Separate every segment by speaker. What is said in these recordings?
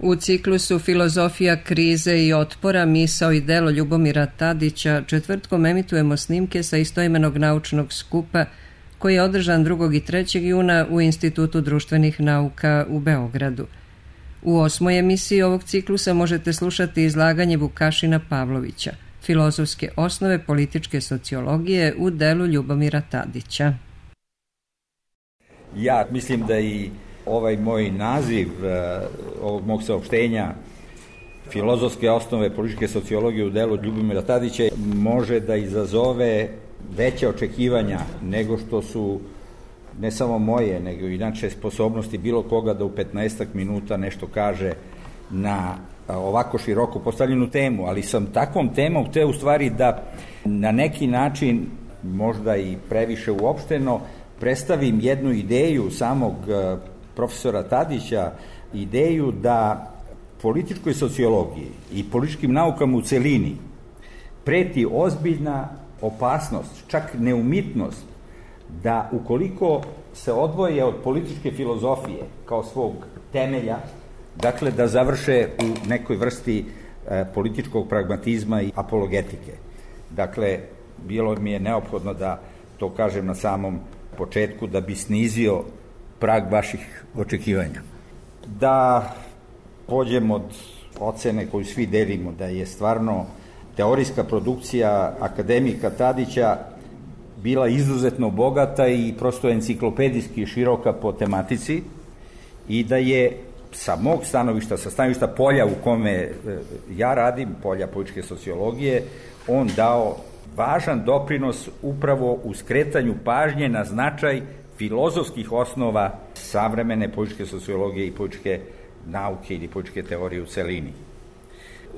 Speaker 1: U ciklusu Filozofija krize i otpora, misao i delo Ljubomira Tadića četvrtkom emitujemo snimke sa istoimenog naučnog skupa koji je održan 2. i 3. juna u Institutu društvenih nauka u Beogradu. U 8. emisiji ovog ciklusa možete slušati izlaganje Vukašina Pavlovića, Filozofske osnove političke sociologije u delu Ljubomira Tadića.
Speaker 2: Ja mislim da i ovaj moj naziv ovog mog saopštenja Filozofske osnove političke sociologije u delu Ljubomira Tadića može da izazove veće očekivanja nego što su ne samo moje, nego inače sposobnosti bilo koga da u 15 minuta nešto kaže na ovako široko postavljenu temu, ali sam takvom temom hteo u stvari da na neki način, možda i previše uopšteno, predstavim jednu ideju samog profesora Tadića, ideju da političkoj sociologiji i političkim naukama u celini preti ozbiljna opasnost, čak neumitnost, da ukoliko se odvoje od političke filozofije kao svog temelja, dakle da završe u nekoj vrsti političkog pragmatizma i apologetike. Dakle, bilo mi je neophodno da to kažem na samom početku da bi snizio prag vaših očekivanja. Da pođem od ocene koju svi delimo, da je stvarno teorijska produkcija akademika Tadića bila izuzetno bogata i prosto enciklopedijski široka po tematici i da je sa mog stanovišta, sa stanovišta polja u kome ja radim, polja političke sociologije, on dao važan doprinos upravo u skretanju pažnje na značaj filozofskih osnova savremene političke sociologije i političke nauke ili političke teorije u celini.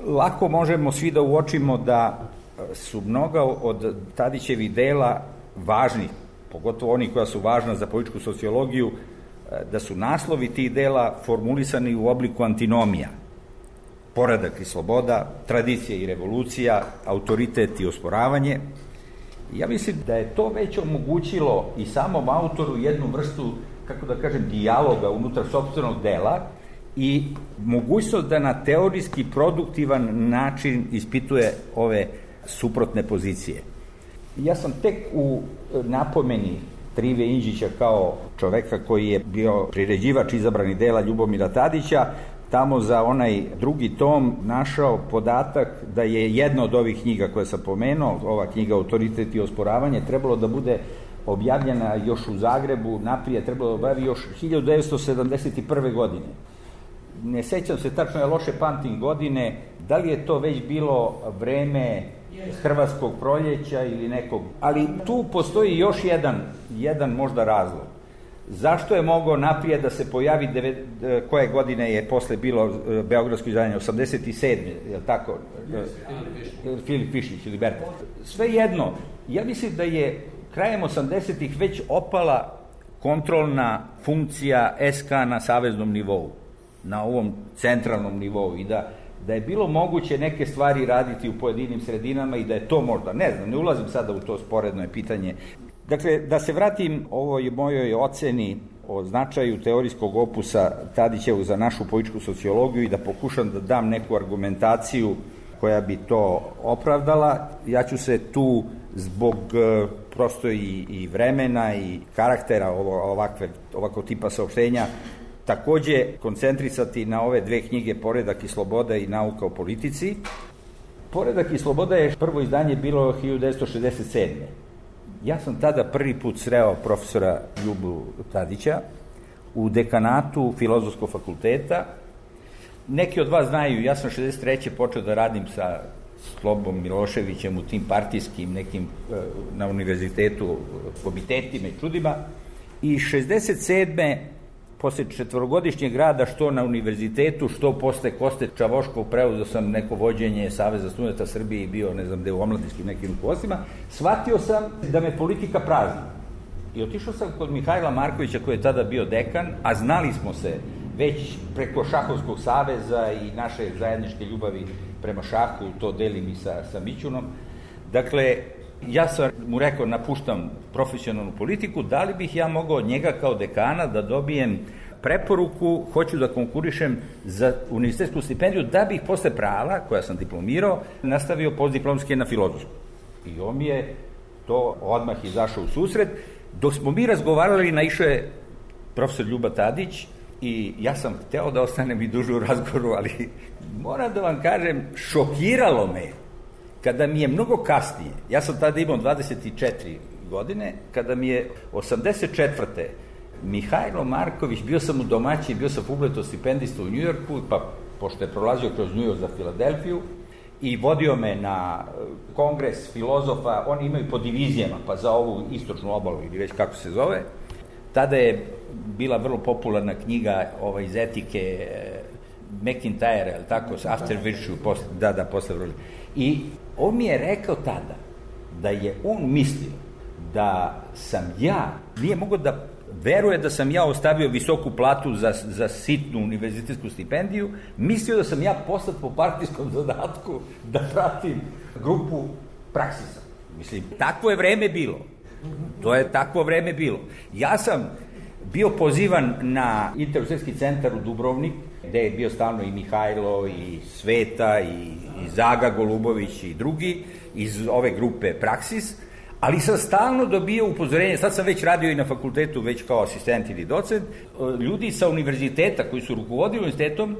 Speaker 2: Lako možemo svi da uočimo da su mnoga od Tadićevih dela važni, pogotovo oni koja su važna za političku sociologiju, da su naslovi tih dela formulisani u obliku antinomija. Poredak i sloboda, tradicija i revolucija, autoritet i osporavanje. Ja mislim da je to već omogućilo i samom autoru jednu vrstu, kako da kažem, dijaloga unutar sopstvenog dela i mogućnost da na teorijski produktivan način ispituje ove suprotne pozicije. Ja sam tek u napomeni Trive Indžića kao čoveka koji je bio priređivač izabranih dela Ljubomira Tadića, tamo za onaj 2. tom našao podatak da je jedna od ovih knjiga koje sam pomenuo, ova knjiga Autoritet i osporavanje, trebalo da bude objavljena još u Zagrebu, naprijed trebalo da objavi još 1971. godine. Ne sećam se tačno, ja loše pamtim godine, da li je to već bilo vreme Hrvatskog proljeća ili nekog, ali tu postoji još jedan možda razlog. Zašto je mogao naprijed da se pojavi, koje godine je posle bilo beogradsko izdanje, 87. je li tako? Filip Višnjić ili Berta. Svejedno, ja mislim da je krajem 80-ih već opala kontrolna funkcija SK na saveznom nivou, na ovom centralnom nivou i da je bilo moguće neke stvari raditi u pojedinim sredinama i da je to možda, ne znam, ne ulazim sada u to sporedno pitanje. Dakle, da se vratim ovoj mojoj oceni o značaju teorijskog opusa Tadićevu za našu političku sociologiju i da pokušam da dam neku argumentaciju koja bi to opravdala. Ja ću se tu zbog prosto i vremena i karaktera ovakvog tipa saopštenja takođe koncentrisati na ove 2 knjige Poredak i sloboda i nauka o politici. Poredak i sloboda je prvo izdanje bilo 1967. Ja sam tada prvi put sreo profesora Ljubu Tadića u dekanatu Filozofskog fakulteta. Neki od vas znaju, ja sam 63. počeo da radim sa Slobom Miloševićem u tim partijskim nekim na univerzitetu komitetima i čudima i 67. posle 4-godišnjeg rada što na univerzitetu, što posle Koste Čavoškov preuzeo sam neko vođenje Saveza studenta Srbije i bio, ne znam, gde u omladinskim nekim rukovodstvima, shvatio sam da me politika prazni. I otišao sam kod Mihajla Markovića koji je tada bio dekan, a znali smo se već preko Šahovskog saveza i naše zajedničke ljubavi prema šahu, to delim i sa Mićunom. Dakle, ja sam mu rekao, napuštam profesionalnu politiku, da li bih ja mogao od njega kao dekana da dobijem preporuku, hoću da konkurišem za univerzitetsku stipendiju da bih posle prava, koja sam diplomirao, nastavio postdiplomske na filozofsku. I on mi je to odmah izašao u susret. Dok smo mi razgovarali, naišao je profesor Ljuba Tadić i ja sam hteo da ostanem i duže u razgovoru, ali moram da vam kažem, šokiralo me kada mi je mnogo kasnije, ja sam tada imao 24 godine, kada mi je 84. Mihajlo Marković, bio sam u domaćin, bio sam Fulbright stipendista u Njujorku, pa pošto je prolazio kroz Njujork za Filadelfiju i vodio me na kongres filozofa, oni imaju po divizijama, pa za ovu istočnu obalu ili već kako se zove. Tada je bila vrlo popularna knjiga iz etike McIntyre, ali tako, After Virtue, posle vrlo. I on mi je rekao tada da je on mislio da sam ja, nije mogao da veruje da sam ja ostavio visoku platu za sitnu univerzitetsku stipendiju, mislio da sam ja poslat po partijskom zadatku da pratim grupu Praksisa. Mislim, takvo je vreme bilo. To je takvo vreme bilo. Ja sam bio pozivan na Interuniverzitetski centar u Dubrovnik, gde je bio stalno i Mihajlo, i Sveta, i Zaga Golubović i drugi iz ove grupe Praksis, ali sam stalno dobio upozorenje, sad sam već radio i na fakultetu, već kao asistent ili docent, ljudi sa univerziteta koji su rukovodili univerzitetom,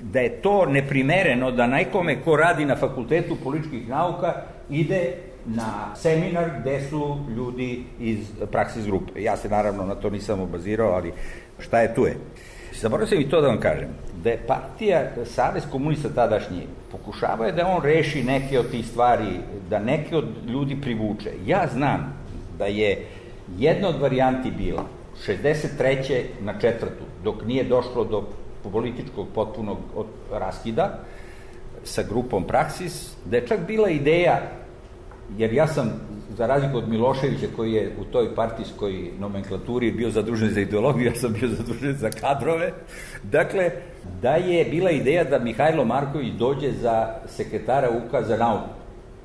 Speaker 2: da je to neprimereno da nekome ko radi na fakultetu političkih nauka ide na seminar gde su ljudi iz Praksis grupe. Ja se naravno na to nisam obazirao, ali šta je tu je. Zaboravio sam i to da vam kažem, da je partija, Savez komunista tadašnji, pokušavao je da on reši neke od tih stvari, da neke od ljudi privuče. Ja znam da je jedna od varijanti bila 63. na 4. dok nije došlo do političkog potpunog raskida sa grupom Praksis, da je čak bila ideja, jer ja sam, za razliku od Miloševića koji je u toj partijskoj nomenklaturi bio zadužen za ideologiju, ja sam bio zadužen za kadrove, dakle, da je bila ideja da Mihajlo Marković dođe za sekretara UKA za nauku,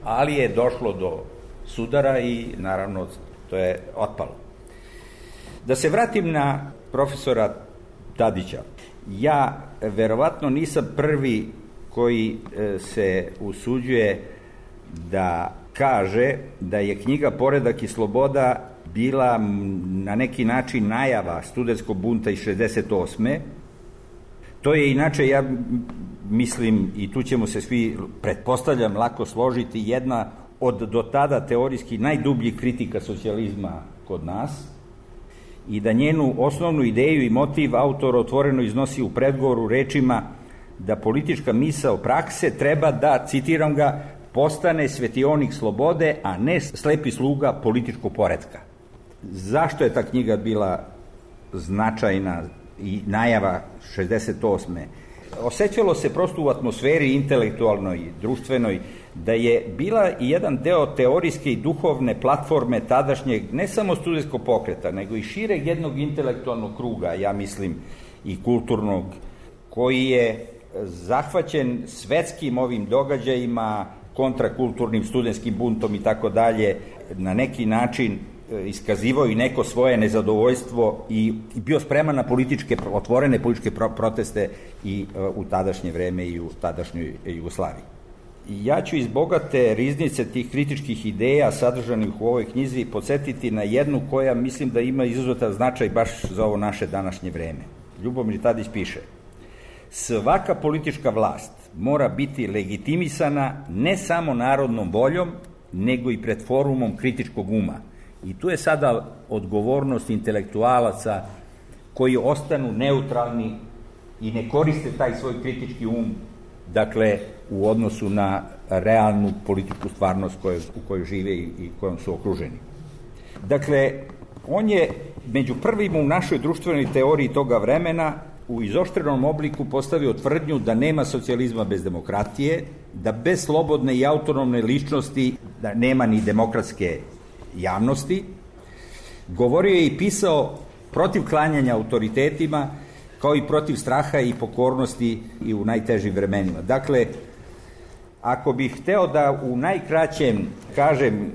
Speaker 2: ali je došlo do sudara i naravno to je otpalo. Da se vratim na profesora Tadića. Ja verovatno nisam prvi koji se usuđuje da kaže da je knjiga Poredak i sloboda bila na neki način najava studentskog bunta iz 68. To je inače, ja mislim, i tu ćemo se svi, pretpostavljam, lako složiti, jedna od do tada teorijski najdubljih kritika socijalizma kod nas i da njenu osnovnu ideju i motiv autor otvoreno iznosi u predgovoru rečima da politička misao prakse treba da, citiram ga, postane svetionik slobode, a ne slepi sluga političkog poretka. Zašto je ta knjiga bila značajna i najava 68. Osećalo se prosto u atmosferi intelektualnoj, društvenoj, da je bila i jedan deo teorijske i duhovne platforme tadašnjeg, ne samo studentskog pokreta, nego i šireg jednog intelektualnog kruga, ja mislim, i kulturnog, koji je zahvaćen svetskim ovim događajima, kontrakulturnim studentskim buntom i tako dalje, na neki način iskazivao i neko svoje nezadovoljstvo i bio spreman na otvorene političke proteste i u tadašnje vreme i u tadašnjoj Jugoslaviji. Ja ću iz bogate riznice tih kritičkih ideja sadržanih u ovoj knjizi podsjetiti na jednu koja mislim da ima izuzetan značaj baš za ovo naše današnje vreme. Ljubomir Tadić piše: svaka politička vlast mora biti legitimisana ne samo narodnom voljom, nego i pred forumom kritičkog uma. I tu je sada odgovornost intelektualaca koji ostanu neutralni i ne koriste taj svoj kritički um, dakle, u odnosu na realnu političku stvarnost u kojoj žive i kojom su okruženi. Dakle, on je među prvima u našoj društvenoj teoriji toga vremena u izoštrenom obliku postavio tvrdnju da nema socijalizma bez demokratije, da bez slobodne i autonomne ličnosti da nema ni demokratske javnosti. Govorio je i pisao protiv klanjanja autoritetima, kao i protiv straha i pokornosti i u najtežim vremenima. Dakle, ako bih hteo da u najkraćem kažem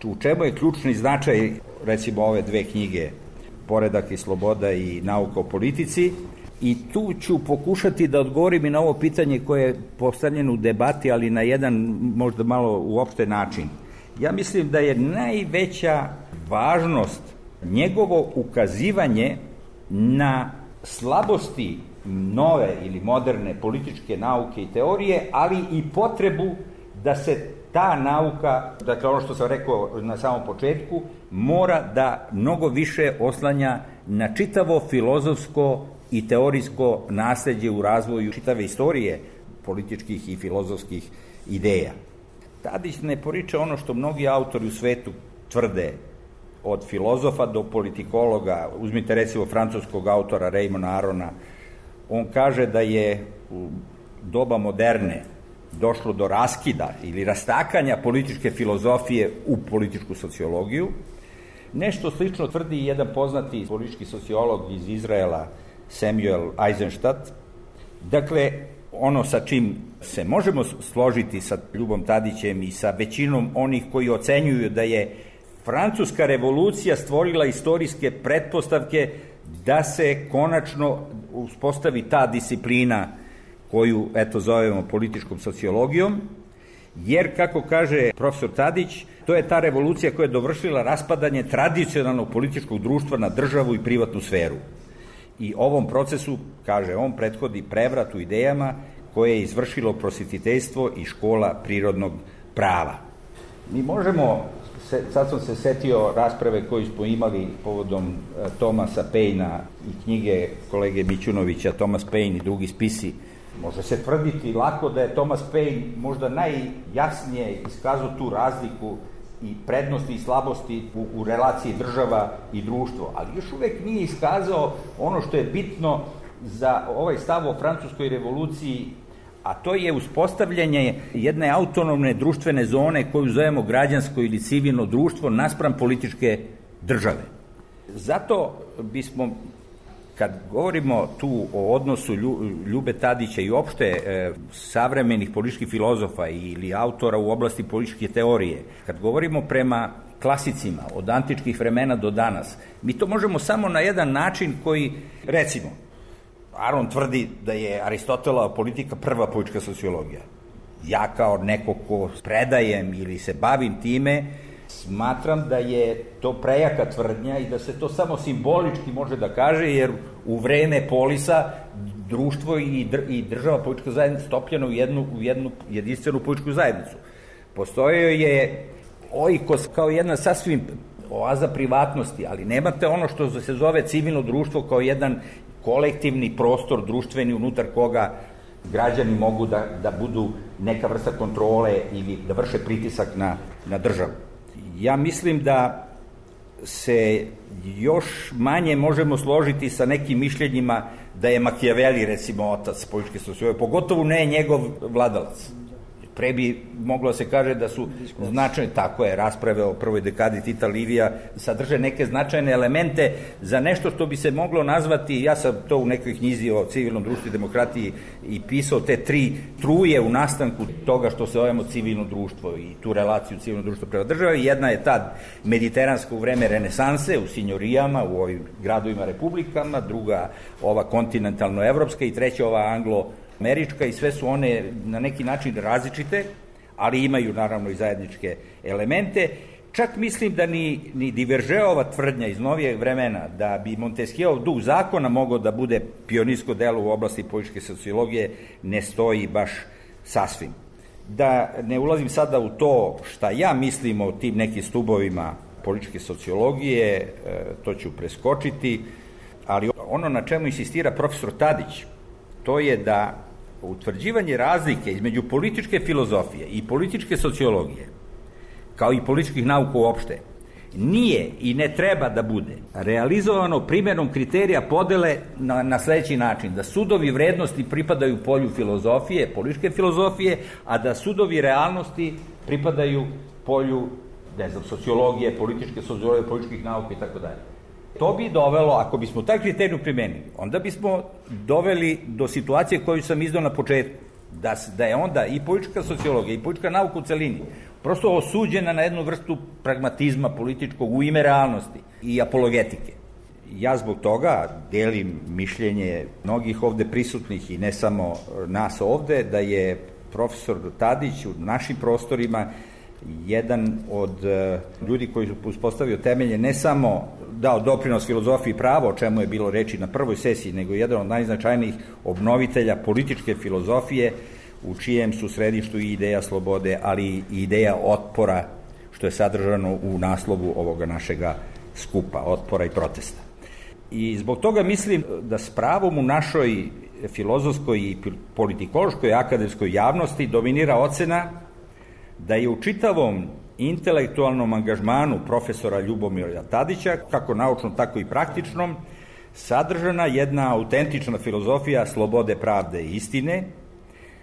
Speaker 2: u čemu je ključni značaj, recimo, ove dve knjige Poredak i sloboda i nauka o politici. I tu ću pokušati da odgovorim i na ovo pitanje koje je postavljeno u debati, ali na jedan možda malo uopšte način. Ja mislim da je najveća važnost njegovo ukazivanje na slabosti nove ili moderne političke nauke i teorije, ali i potrebu da se ta nauka, dakle ono što sam rekao na samom početku, mora da mnogo više oslanja na čitavo filozofsko i teorijsko nasleđe u razvoju čitave istorije političkih i filozofskih ideja. Tadić ne poriče ono što mnogi autori u svetu tvrde, od filozofa do politikologa. Uzmite recimo francuskog autora Raymona Arona. On kaže da je u doba moderne došlo do raskida ili rastakanja političke filozofije u političku sociologiju. Nešto slično tvrdi i jedan poznati politički sociolog iz Izraela, Samuel Eisenstadt. Dakle, ono sa čim se možemo složiti sa Ljubom Tadićem i sa većinom onih koji ocenjuju da je Francuska revolucija stvorila istorijske pretpostavke da se konačno uspostavi ta disciplina koju, eto, zovemo političkom sociologijom, jer, kako kaže profesor Tadić, to je ta revolucija koja je dovršila raspadanje tradicionalnog političkog društva na državu i privatnu sferu. I ovom procesu, kaže on, prethodi prevrat u idejama koje je izvršilo prosvetiteljstvo i škola prirodnog prava. Mi možemo, sad sam se setio rasprave koju smo imali povodom Thomasa Painea i knjige kolege Mićunovića, Thomas Paine i drugi spisi. Može se tvrditi lako da je Thomas Paine možda najjasnije iskazao tu razliku i prednosti i slabosti u relaciji država i društvo, ali još uvek nije iskazao ono što je bitno za ovaj stav o francuskoj revoluciji, a to je uspostavljanje jedne autonomne društvene zone koju zovemo građansko ili civilno društvo naspram političke države. Zato bismo, kad govorimo tu o odnosu Ljube Tadića i opšte savremenih političkih filozofa ili autora u oblasti političke teorije, kad govorimo prema klasicima od antičkih vremena do danas, mi to možemo samo na jedan način koji, recimo, Aron tvrdi da je Aristotelova politika prva politička sociologija. Ja kao neko ko predajem ili se bavim time, smatram da je to prejaka tvrdnja i da se to samo simbolički može da kaže, jer u vreme polisa društvo i država politička zajednica stopljena u jednu jedinstvenu političku zajednicu. Postojao je oikos kao jedna sasvim oaza privatnosti, ali nemate ono što se zove civilno društvo kao jedan kolektivni prostor društveni unutar koga građani mogu da budu neka vrsta kontrole ili da vrše pritisak na državu. Ja mislim da se još manje možemo složiti sa nekim mišljenjima da je Machiavelli, recimo, otac političke sociologije, pogotovo ne njegov vladalac. Pre bi moglo se kaže da su značajne, tako je, rasprave o prvoj dekadi Tita Livija sadrže neke značajne elemente za nešto što bi se moglo nazvati, ja sam to u nekoj knjizi o civilnom društvu i demokratiji i pisao, te tri truje u nastanku toga što se zovemo civilno društvo i tu relaciju civilno društvo prema državi. Jedna je ta mediteranska u vreme renesanse u sinjorijama, u ovim gradovima republikama, druga ova kontinentalno-evropska i treća ova anglo-američka, i sve su one na neki način različite, ali imaju naravno i zajedničke elemente. Čak mislim da ni Divergeova tvrdnja iz novijeg vremena da bi Montesquieuov duh zakona mogao da bude pionirsko delo u oblasti političke sociologije ne stoji baš sasvim. Da ne ulazim sada u to šta ja mislim o tim nekim stubovima političke sociologije, to ću preskočiti, ali ono na čemu insistira profesor Tadić, to je da utvrđivanje razlike između političke filozofije i političke sociologije, kao i političkih nauka uopšte, nije i ne treba da bude realizovano primjenom kriterija podele na sledeći način, da sudovi vrednosti pripadaju polju filozofije, političke filozofije, a da sudovi realnosti pripadaju polju, sociologije, političke sociologije, političkih nauka i tako dalje. To bi dovelo, ako bismo taj kriterijum primenili, onda bismo doveli do situacije koju sam izdao na početku, da je onda i politička sociologija i politička nauka u celini prosto osuđena na jednu vrstu pragmatizma političkog u ime realnosti i apologetike. Ja zbog toga delim mišljenje mnogih ovde prisutnih i ne samo nas ovde, da je profesor Tadić u našim prostorima jedan od ljudi koji su uspostavio temelje, ne samo dao doprinos filozofiji prava, o čemu je bilo reči na prvoj sesiji, nego jedan od najznačajnijih obnovitelja političke filozofije, u čijem su središtu i ideja slobode, ali i ideja otpora, što je sadržano u naslovu ovoga našega skupa, otpora i protesta. I zbog toga mislim da s pravom u našoj filozofskoj i politikološkoj akademskoj javnosti dominira ocena da je u čitavom intelektualnom angažmanu profesora Ljubomira Tadića, kako naučnom, tako i praktičnom, sadržana jedna autentična filozofija slobode, pravde i istine,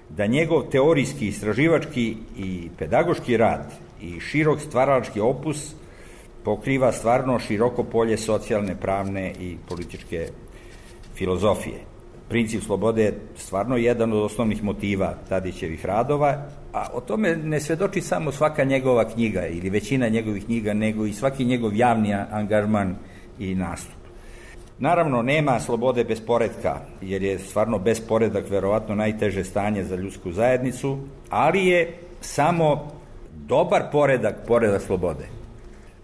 Speaker 2: da njegov teorijski, istraživački i pedagoški rad i širok stvaralački opus pokriva stvarno široko polje socijalne, pravne i političke filozofije. Princip slobode je stvarno jedan od osnovnih motiva Tadićevih radova, a o tome ne svedoči samo svaka njegova knjiga ili većina njegovih knjiga, nego i svaki njegov javni angažman i nastup. Naravno, nema slobode bez poretka, jer je stvarno besporedak verovatno najteže stanje za ljudsku zajednicu, ali je samo dobar poredak slobode.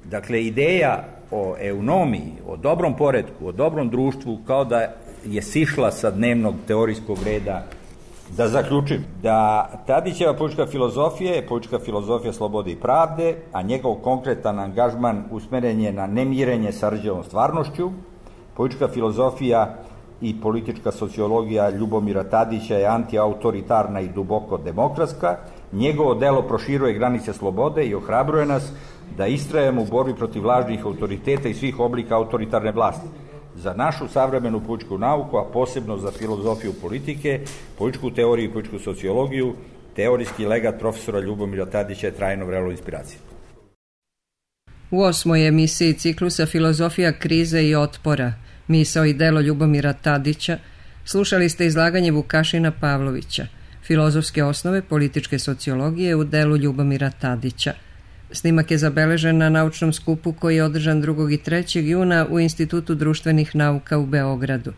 Speaker 2: Dakle, ideja o eunomiji, o dobrom poretku, o dobrom društvu, kao da je sišla sa dnevnog teorijskog reda. Da zaključim, da Tadićeva politička filozofija je politička filozofija slobode i pravde, a njegov konkretan angažman usmeren je na nemirenje sa rđavom stvarnošću. Politička filozofija i politička sociologija Ljubomira Tadića je antiautoritarna i duboko demokratska. Njegovo delo proširuje granice slobode i ohrabruje nas da istrajemo u borbi protiv lažnih autoriteta i svih oblika autoritarne vlasti. Za našu savremenu političku nauku, a posebno za filozofiju politike, političku teoriju i političku sociologiju, teorijski legat profesora Ljubomira Tadića je trajno vrelo inspiracije.
Speaker 1: U 8. emisiji ciklusa Filozofija krize i otpora, misao i delo Ljubomira Tadića, slušali ste izlaganje Vukašina Pavlovića, filozofske osnove političke sociologije u delu Ljubomira Tadića. Snimak je zabeležen na naučnom skupu koji je održan 2. i 3. juna u Institutu društvenih nauka u Beogradu.